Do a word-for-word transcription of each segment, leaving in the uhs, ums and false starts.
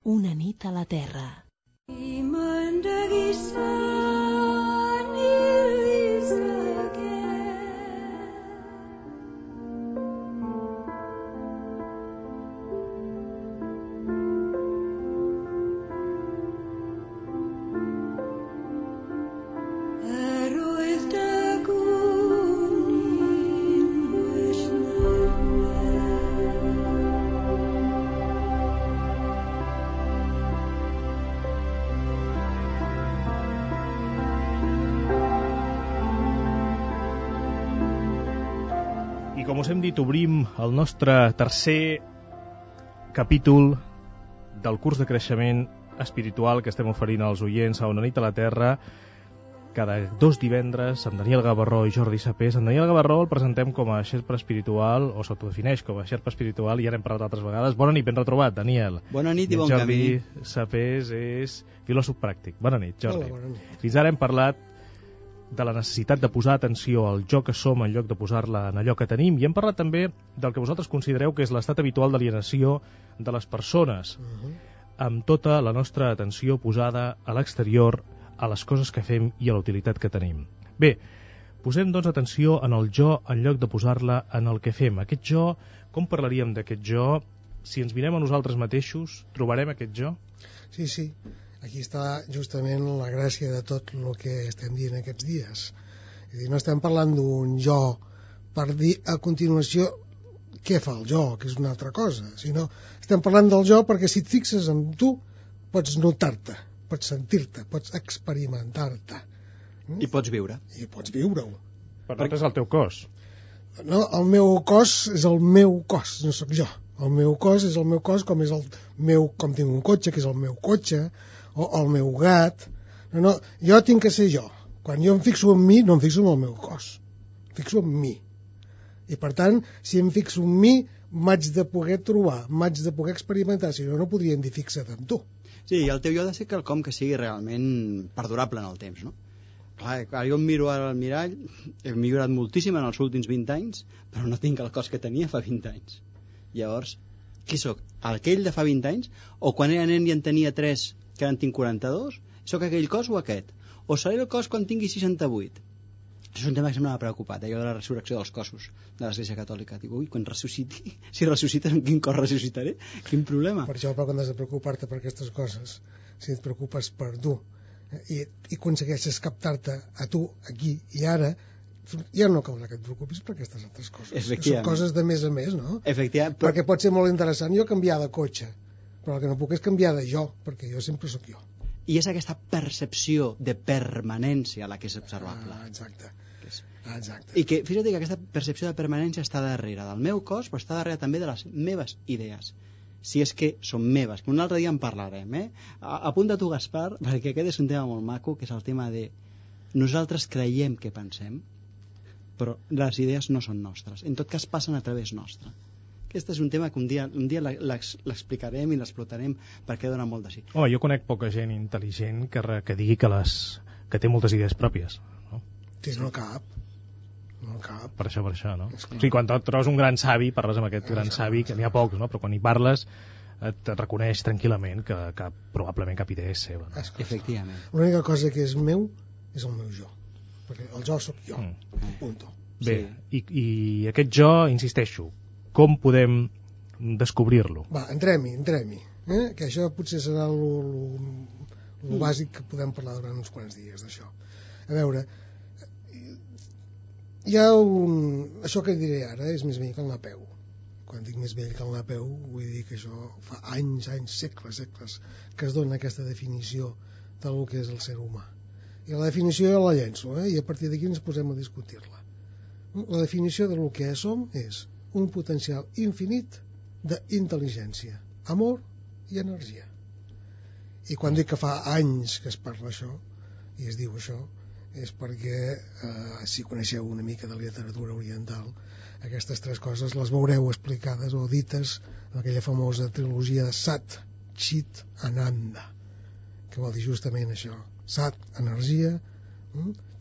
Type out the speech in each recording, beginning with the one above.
Una nit a la Terra. Com us hem dit, obrim el nostre tercer capítol del curs de creixement espiritual que estem oferint als oients a Una nit a la Terra cada dos divendres amb Daniel Gavarró i Jordi Sapés. En Daniel Gavarró el presentem com a xerpa espiritual, o s'autodefineix com a xerpa espiritual, i ja n'hem parlat altres vegades. Bona nit, ben retrobat, Daniel. Bona nit i, I bon Jordi camí. Jordi Sapés és filòsof pràctic. Bona nit, Jordi. Hola, bona nit. Fins ara hem parlat de la necessitat de posar atenció al jo que som en lloc de posar-la en allò que tenim, i hem parlat també del que vosaltres considereu que és l'estat habitual d'alienació de les persones, uh-huh. amb tota la nostra atenció posada a l'exterior, a les coses que fem i a la utilitat que tenim. Bé, posem doncs atenció en el jo en lloc de posar-la en el que fem. Aquest jo, com parlaríem d'aquest jo? Si ens mirem a nosaltres mateixos, trobarem aquest jo? Sí, sí. Aquí està justament la gràcia de tot el que estem dient aquests dies. És a dir, no estem parlant d'un jo per dir a continuació què fa el jo, que és una altra cosa, sinó estem parlant del jo perquè si et fixes en tu pots notar-te, pots sentir-te, pots experimentar-te. Mm? I pots viure. I pots viure-ho. Per tant, és el teu cos. No, el meu cos és el meu cos, no sóc jo. El meu cos és el meu cos com és el meu, com tinc un cotxe, que és el meu cotxe, o el meu gat. No, no, jo tinc que ser jo. Quan jo em fixo en mi, no em fixo en el meu cos. Em fixo en mi. I per tant, si em fixo en mi, m'haig de poder trobar, m'haig de poder experimentar, si no, no podríem dir fixa't en tu. Sí, i el teu jo ha de ser quelcom que sigui realment perdurable en el temps, no? Clar, jo em miro ara al mirall, he millorat moltíssim en els últims vint anys, però no tinc el cos que tenia fa vint anys. Llavors, qui sóc? Aquell de fa vint anys? O quan era nen i en tenia tres, que ara en tinc quaranta-dos? Sóc aquell cos o aquest? O seré el cos quan tingui seixanta-vuit? Això és un tema que sempre m'ha preocupat, allò de la resurrecció dels cossos de l'Església Catòlica. Dic, ui, quan ressusciti, si ressuscites, en quin cos ressuscitaré? Quin problema? Per això, però quan has de preocupar-te per aquestes coses, si et preocupes per tu i, i aconsegueixes captar-te a tu, aquí i ara, ja no caldrà que et preocupis per aquestes altres coses. Que són coses de més a més, no? Efectivament. Però... Perquè pot ser molt interessant jo canviar de cotxe, però el que no puc és canviar de jo, perquè jo sempre sóc jo. I és aquesta percepció de permanència la que és observable. Ah, exacte. És... Ah, exacte. I que, fixa't que aquesta percepció de permanència està darrere del meu cos, però està darrere també de les meves idees. Si és que són meves. Un altre dia en parlarem, eh? Apunta tu, Gaspar, perquè aquest és un tema molt maco, que és el tema de nosaltres creiem que pensem, però les idees no són nostres. En tot cas, passen a través nostre. Aquest és un tema que un dia, un dia l'explicarem i l'explotarem perquè dona molt de sí. Home, jo conec poca gent intel·ligent que, re, que digui que, les, que té moltes idees pròpies. No? Sí, no cap. No cap. Per això, per això, no? O sigui, quan trobes un gran savi, parles amb aquest gran savi, que n'hi ha pocs, no? Però quan hi parles et reconeix tranquil·lament que, que probablement cap idea és seva. No? Efectivament. L'única cosa que és meu és el meu jo. Perquè el jo sóc jo. Mm. Punto. Bé, sí. i, i aquest jo, insisteixo, com podem descobrir-lo? Va, entrem-hi, entrem-hi. Eh? Que això potser serà el mm. bàsic que podem parlar durant uns quants dies d'això. A veure, hi ha un... Això que diré ara és més vell que el Napeu. Quan dic més vell que el Napeu, vull dir que això fa anys, anys, segles, segles, que es dona aquesta definició del que és el ser humà. I la definició ja la llenço, eh? I a partir d'aquí ens posem a discutir-la. La definició del que som és un potencial infinit d'intel·ligència, amor i energia. I quan dic que fa anys que es parla això, i es diu això, és perquè, eh, si coneixeu una mica de literatura oriental, aquestes tres coses les veureu explicades o dites en aquella famosa trilogia de Sat, Chit, Ananda, que vol dir justament això. Sat, energia,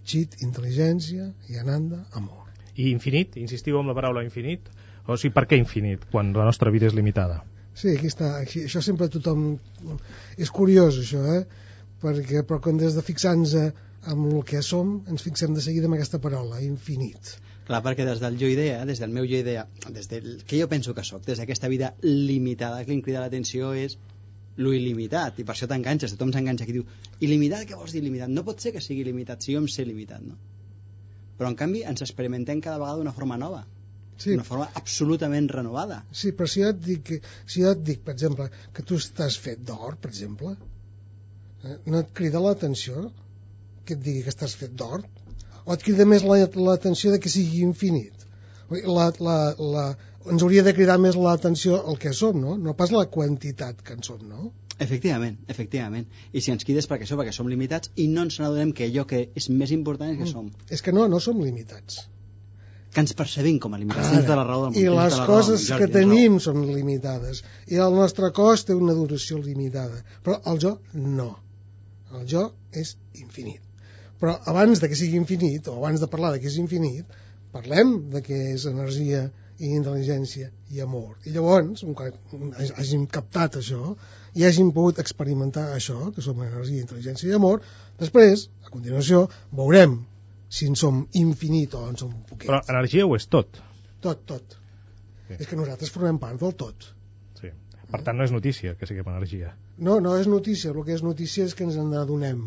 Chit, intel·ligència, i Ananda, amor. I infinit? Insistiu amb la paraula infinit? O sigui, per què infinit, quan la nostra vida és limitada? Sí, aquí està. Aquí, això sempre tothom... És curiós, això, eh? Perquè, però quan des de fixar-nos en el que som, ens fixem de seguida en aquesta paraula, infinit. Clar, perquè des del jo idea, des del meu jo idea, des del que jo penso que sóc, des d'aquesta vida limitada, que li crida l'atenció és lo il·limitat, i per això t'enganxes, tothom s'enganxa aquí, diu, il·limitat, què vols dir il·limitat? No pot ser que sigui il·limitat, si jo em sé limitat, no? Però en canvi ens experimentem cada vegada d'una forma nova, sí. Una forma absolutament renovada. Sí, però si jo et dic, si jo et dic per exemple, que tu estàs fet d'or, per exemple, eh, no et crida l'atenció que et digui que estàs fet d'or? O et crida més l'atenció de que sigui infinit? La, la, la, ens hauria de cridar més l'atenció el que som, no? No pas la quantitat que en som, no? Efectivament, efectivament. I si ens crides perquè això, perquè som limitats i no ens n'adonem que allò que és més important és que som. Mm. És que no, no som limitats. Que ens percebim com a limitats. Tens tota la raó del món. I les coses que tenim són limitades. I el nostre cos té una duració limitada. Però el jo, no. El jo és infinit. Però abans de que sigui infinit, o abans de parlar de que és infinit, parlem de què és energia i intel·ligència i amor. I llavors, quan hàgim captat això i hàgim pogut experimentar això, que som energia, intel·ligència i amor, després, a continuació, veurem si en som infinit o en som un poquet. Però energia ho és tot. Tot, tot. Sí. És que nosaltres formem part del tot. Sí. Per tant, no és notícia que siguem energia. No, no és notícia. El que és notícia és que ens en adonem.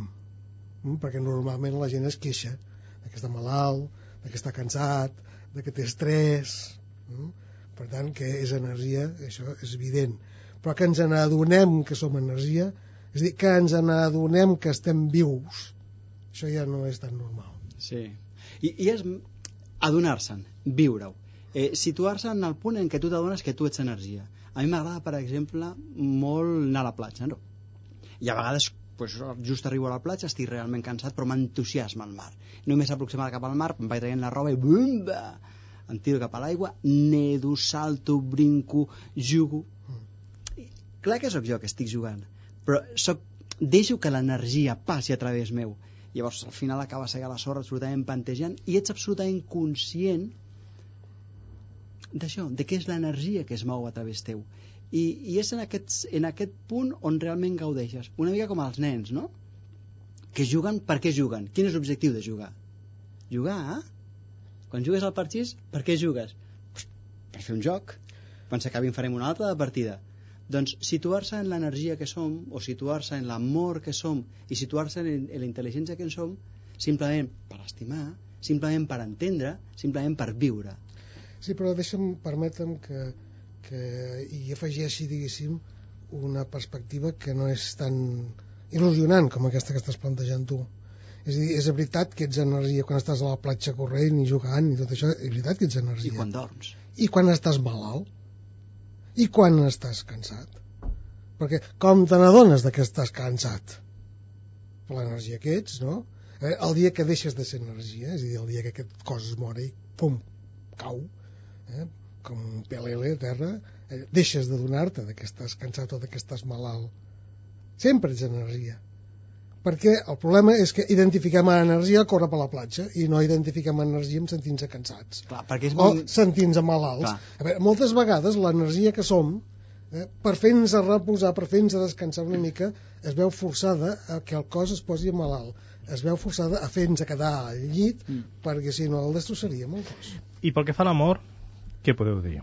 Perquè normalment la gent es queixa de que està malalt, de que està cansat, de que té estrès. Per tant, que és energia, això és evident. Però que ens n'adonem que som energia, és a dir, que ens n'adonem que estem vius, això ja no és tan normal. Sí. I, i és adonar-se'n, viure-ho. Eh, situar-se en el punt en què tu t'adones que tu ets energia. A mi m'agrada, per exemple, molt anar a la platja, no? I a vegades pues, just arribo a la platja, estic realment cansat, però m'entusiasma el mar. Només aproximar cap al mar, em vaig traient la roba i bumba, em tiro cap a l'aigua, nedo, salto, brinco, jugo. I, clar que sóc jo que estic jugant, però soc, deixo que l'energia passi a través meu. Llavors, al final acaba seguint la sorra absolutament pantejant i ets absolutament conscient d'això, de què és l'energia que es mou a través teu. I, i és en aquest, en aquest punt on realment gaudeixes. Una mica com els nens, no? Que juguen, per què juguen? Quin és l'objectiu de jugar? Jugar, eh? Quan jugues al parxís, per què jugues? Pues, per fer un joc. Quan s'acabi en farem una altra de partida. Doncs situar-se en l'energia que som, o situar-se en l'amor que som, i situar-se en, en la intel·ligència que en som, simplement per estimar, simplement per entendre, simplement per viure. Sí, però deixa'm, permetem que, que hi afegeixi, diguéssim, una perspectiva que no és tan il·lusionant com aquesta que estàs plantejant tu. És a dir, és veritat que ets energia quan estàs a la platja corrent i jugant i tot això, és veritat que ets energia. I quan dorms. I quan estàs malalt. I quan estàs cansat. Perquè com te n'adones que estàs cansat? Per l'energia que ets, no? Eh, el dia que deixes de ser energia, és a dir, el dia que aquest cos es mor i pum, cau, eh, com un pelele a terra, eh, deixes de donar-te que estàs cansat o que estàs malalt. Sempre ets energia. Perquè el problema és que identifiquem l'energia a córrer per la platja i no identifiquem energia amb sentir-nos cansats. Clar, perquè és o molt... sentir-nos malalts. A veure, moltes vegades l'energia que som, eh, per fer-nos reposar, per fer-nos descansar una mica, es veu forçada a que el cos es posi malalt. Es veu forçada a fer-nos quedar al llit, mm. perquè si no el destrossaríem el cos. I pel que fa a l'amor, què podeu dir?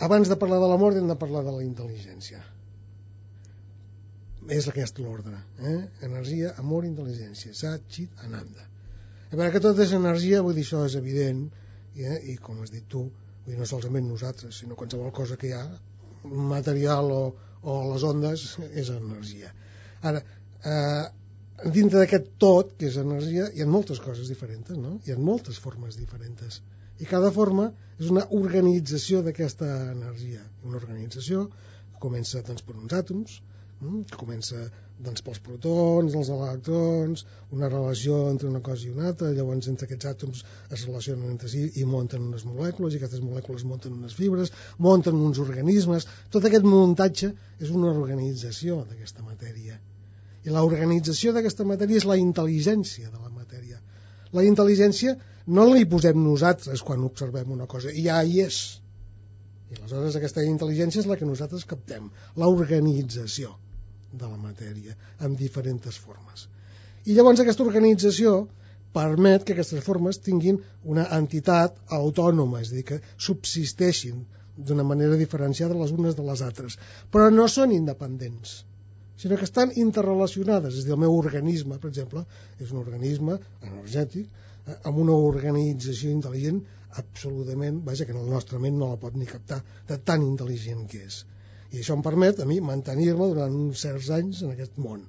Abans de parlar de l'amor hem de parlar de la intel·ligència. És aquest l'ordre, eh? Energia, amor, intel·ligència, Sat, Chit, Ananda. A veure que tot és energia, vull dir, això és evident, eh? I com has dit tu, vull dir, no solament nosaltres, sinó qualsevol cosa que hi ha, material o, o les ondes, és energia. Ara, eh, dintre d'aquest tot, que és energia, hi ha moltes coses diferents, no? Hi ha moltes formes diferents. I cada forma és una organització d'aquesta energia. Una organització que comença doncs, per uns àtoms, que comença doncs, pels protons, els electrons, una relació entre una cosa i una altra, llavors entre aquests àtoms es relacionen entre si i munten unes molècules, i aquestes molècules munten unes fibres, munten uns organismes. Tot aquest muntatge és una organització d'aquesta matèria. I l'organització d'aquesta matèria és la intel·ligència de la matèria. La intel·ligència no la hi posem nosaltres quan observem una cosa, ja hi és. I aleshores aquesta intel·ligència és la que nosaltres captem, l'organització de la matèria, en diferents formes. I llavors aquesta organització permet que aquestes formes tinguin una entitat autònoma, és a dir, que subsisteixin d'una manera diferenciada les unes de les altres, però no són independents, sinó que estan interrelacionades. És a dir, el meu organisme, per exemple, és un organisme energètic eh, amb una organització intel·ligent absolutament, vaja, que en el nostre ment no la pot ni captar, de tan intel·ligent que és. I això em permet a mi mantenir-me durant uns certs anys en aquest món.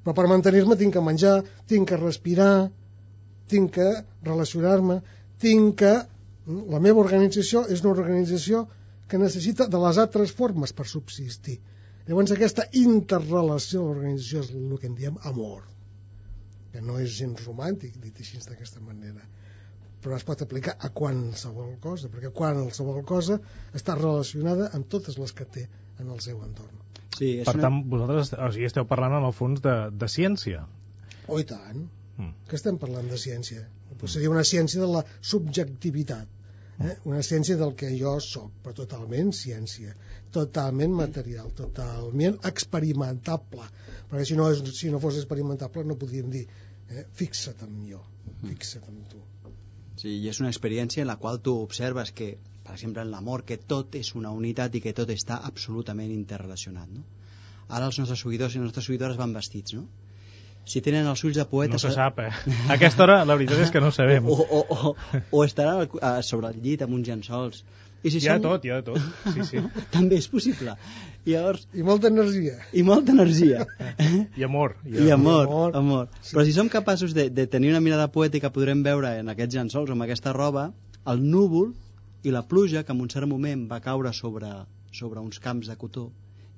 Però per mantenir-me tinc que menjar, tinc que respirar, tinc que relacionar-me, tinc que... La meva organització és una organització que necessita de les altres formes per subsistir. Llavors aquesta interrelació de l'organització és el que en diem amor, que no és gens romàntic, dit així d'aquesta manera, però es pot aplicar a qualsevol cosa, perquè qualsevol cosa està relacionada amb totes les que té en el seu entorn. Sí, és per una... tant, vosaltres o sigui, esteu parlant en el fons de, de ciència. Oh, i tant. Mm. Que estem parlant de ciència? Pues seria una ciència de la subjectivitat, eh? Una ciència del que jo soc, però totalment ciència, totalment material, totalment experimentable, perquè si no, és, si no fos experimentable no podríem dir eh? fixa't en jo, fixa't en tu. Sí, i és una experiència en la qual tu observes que, per exemple, en l'amor, que tot és una unitat i que tot està absolutament interrelacionat, no? Ara els nostres seguidors i les nostres seguidores van vestits, no? Si tenen els ulls de poeta... No se sap, eh? A aquesta hora la veritat és que no ho sabem. O, o, o, o estaran sobre el llit amb uns llençols. I si hi ha són... tot, hi ha tot. Sí, sí. També és possible. I llavors... I molta energia. I molta energia. I amor. I, I amor, amor. amor. Sí. Però si som capaços de, de tenir una mirada poètica, podrem veure en aquests llençols, amb aquesta roba, el núvol i la pluja que en un cert moment va caure sobre, sobre uns camps de cotó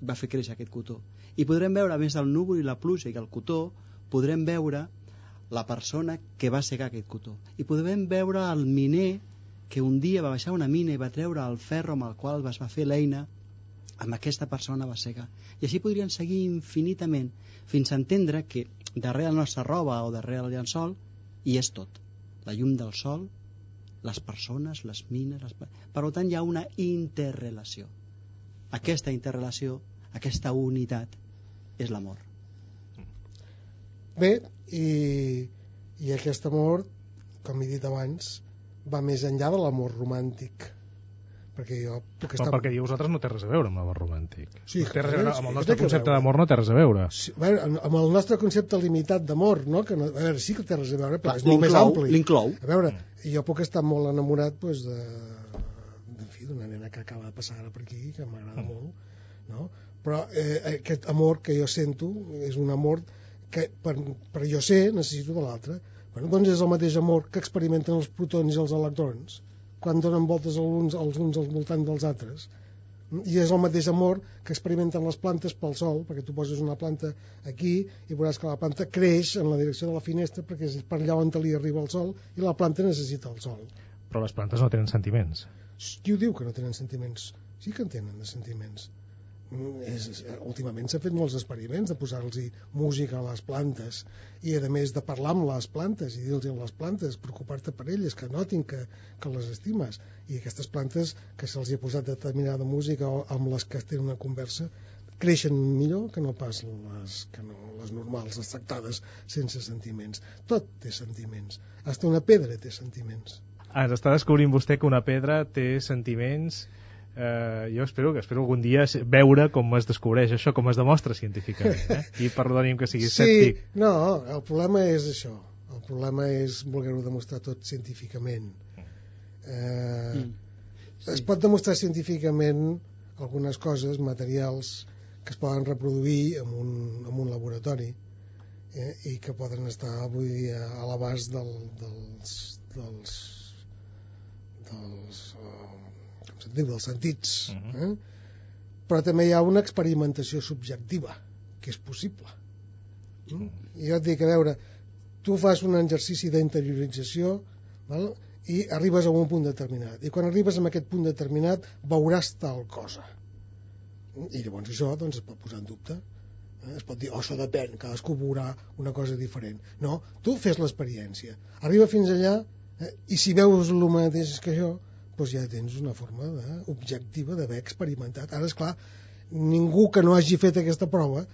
i va fer créixer aquest cotó. I podrem veure, a més del núvol i la pluja i el cotó, podrem veure la persona que va segar aquest cotó. I podrem veure el miner que un dia va baixar una mina i va treure el ferro amb el qual es va fer l'eina, amb aquesta persona va segar. I així podrien seguir infinitament, fins a entendre que darrere la nostra roba o darrere el llençol hi és tot. La llum del sol, les persones, les mines... Les... Per tant, hi ha una interrelació. Aquesta interrelació, aquesta unitat, és l'amor. Bé, i, i aquest amor, com he dit abans, va més enllà de l'amor romàntic, perquè jo puc estar... Però perquè vosaltres no té res a veure amb l'amor romàntic. Sí, no té res a veure, sí, amb el sí, nostre té que concepte veure. d'amor no té res a veure. Sí, a veure, amb el nostre concepte limitat d'amor, no? Que no, a veure, sí que té res a veure, però Clar, és molt més ampli. L'inclou. A veure, jo puc estar molt enamorat pues, de, en fi, d'una nena que acaba de passar ara per aquí, que m'agrada mm. molt, no? Però eh, aquest amor que jo sento és un amor que per, per jo ser necessito de l'altre. Bueno, doncs és el mateix amor que experimenten els protons i els electrons quan donen voltes els uns, els uns al voltant dels altres. I és el mateix amor que experimenten les plantes pel sol, perquè tu poses una planta aquí i veuràs que la planta creix en la direcció de la finestra perquè és per allà on li arriba el sol i la planta necessita el sol. Però les plantes no tenen sentiments. Qui ho diu que no tenen sentiments? Sí que en tenen de sentiments. És, últimament s'ha fet molts experiments de posar-los música a les plantes i a més de parlar amb les plantes i dir-los a les plantes, preocupar-te per elles, que notin que, que les estimes, i aquestes plantes que se'ls ha posat determinada música o amb les que tenen una conversa creixen millor que no pas les, que no, les normals, les tractades sense sentiments. Tot té sentiments, fins una pedra té sentiments. Ah, ens està descobrint vostè que una pedra té sentiments. Uh, jo espero que espero algun dia veure com es descobreix això, com es demostra científicament, eh? I perdonim que sigui escèptic. Sí, no, el problema és això, el problema és voler-ho demostrar tot científicament. Uh, mm. Sí. Es pot demostrar científicament algunes coses, materials que es poden reproduir en un, en un laboratori eh, i que poden estar vull dir, a l'abast del, dels dels dels uh, sentim, dels sentits, uh-huh. eh? Però també hi ha una experimentació subjectiva que és possible. Mm? I jo et dic, a veure, tu fas un exercici d'interiorització, val? I arribes a un punt determinat, i quan arribes a aquest punt determinat veuràs tal cosa, i llavors això doncs, es pot posar en dubte, eh? Es pot dir, oh, això depèn, cadascú veurà una cosa diferent. No, tu fes l'experiència, arriba fins allà, eh? I si veus el mateix que jo, doncs ja tens una forma de, objectiva d'haver experimentat. Ara, és clar, ningú que no hagi fet aquesta prova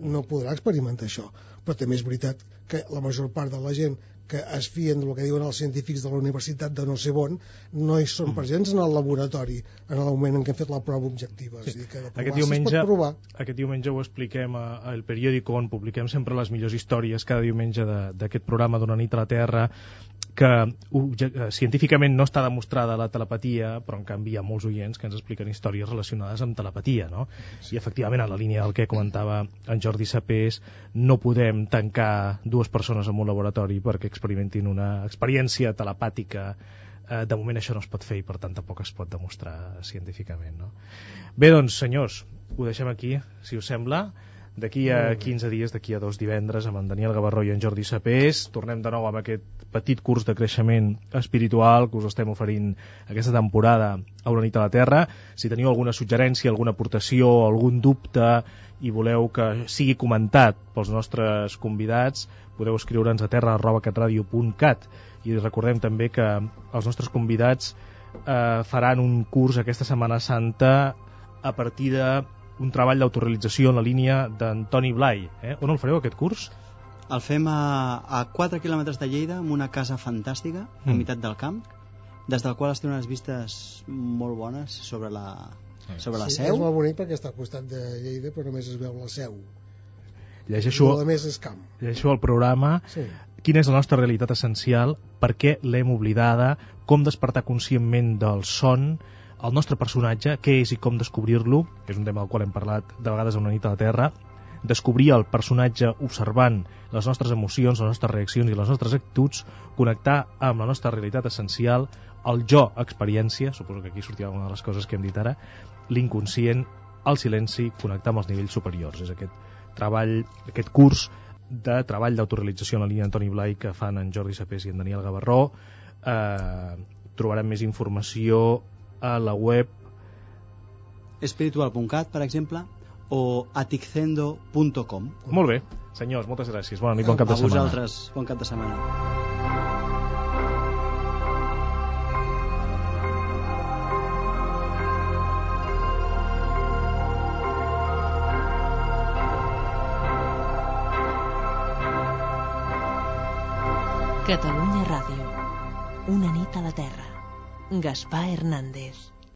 no podrà experimentar això, però també és veritat que la major part de la gent que es fien del que diuen els científics de la universitat de no sé on, no hi són presents en el laboratori en el moment en què han fet la prova objectiva. Sí. És a dir, que de provar, aquest, diumenge, si es pot provar. Aquest diumenge ho expliquem al periòdico, on publiquem sempre les millors històries cada diumenge d'aquest programa d'Una nit a la Terra, que científicament no està demostrada la telepatia, però en canvi hi ha molts oients que ens expliquen històries relacionades amb telepatia, no? Sí. I efectivament, en la línia del que comentava en Jordi Sapés, no podem tancar dues persones en un laboratori perquè experimentin una experiència telepàtica. Eh, de moment això no es pot fer i per tant tampoc es pot demostrar científicament, no? Bé, doncs, senyors, ho deixem aquí, si us sembla. D'aquí a quinze dies, d'aquí a dos divendres, amb en Daniel Gavarró i en Jordi Sapés, tornem de nou amb aquest petit curs de creixement espiritual que us estem oferint aquesta temporada a Una nit a la Terra. Si teniu alguna suggerència, alguna aportació, algun dubte i voleu que sigui comentat pels nostres convidats, podeu escriure'ns a terra arroba catradio punt cat. I recordem també que els nostres convidats eh, faran un curs aquesta Setmana Santa a partir de un treball d'autorealització en la línia d'en Toni Blai. Eh? On el fareu, aquest curs? El fem a, a quatre quilòmetres de Lleida, en una casa fantàstica, mm. a meitat del camp, des del qual es tenen unes vistes molt bones sobre la, sobre la sí, Seu. És molt bonic perquè està al costat de Lleida, però només es veu la Seu. Llegeixo, I a més és camp. Llegeixo el programa. Sí. Quina és la nostra realitat essencial? Per què l'hem oblidada? Com despertar conscientment del son? El nostre personatge, què és i com descobrir-lo, que és un tema del qual hem parlat de vegades a Una nit a la Terra. Descobrir el personatge observant les nostres emocions, les nostres reaccions i les nostres actituds, connectar amb la nostra realitat essencial, el jo experiència, suposo que aquí sortirà una de les coses que hem dit ara, l'inconscient, el silenci, connectar amb els nivells superiors. És aquest treball, aquest curs de treball d'autorealització en la línia d'Antoni Blai que fan en Jordi Sapés i en Daniel Gavarró. Eh, trobarem més informació a la web espiritual punt cat, per exemple, o aticendo punt com. Molt bé, senyors, moltes gràcies. Bona nit, bon cap de setmana. A vosaltres, bon cap de setmana. Catalunya Ràdio. Una nit a la Terra. Gaspar Hernández.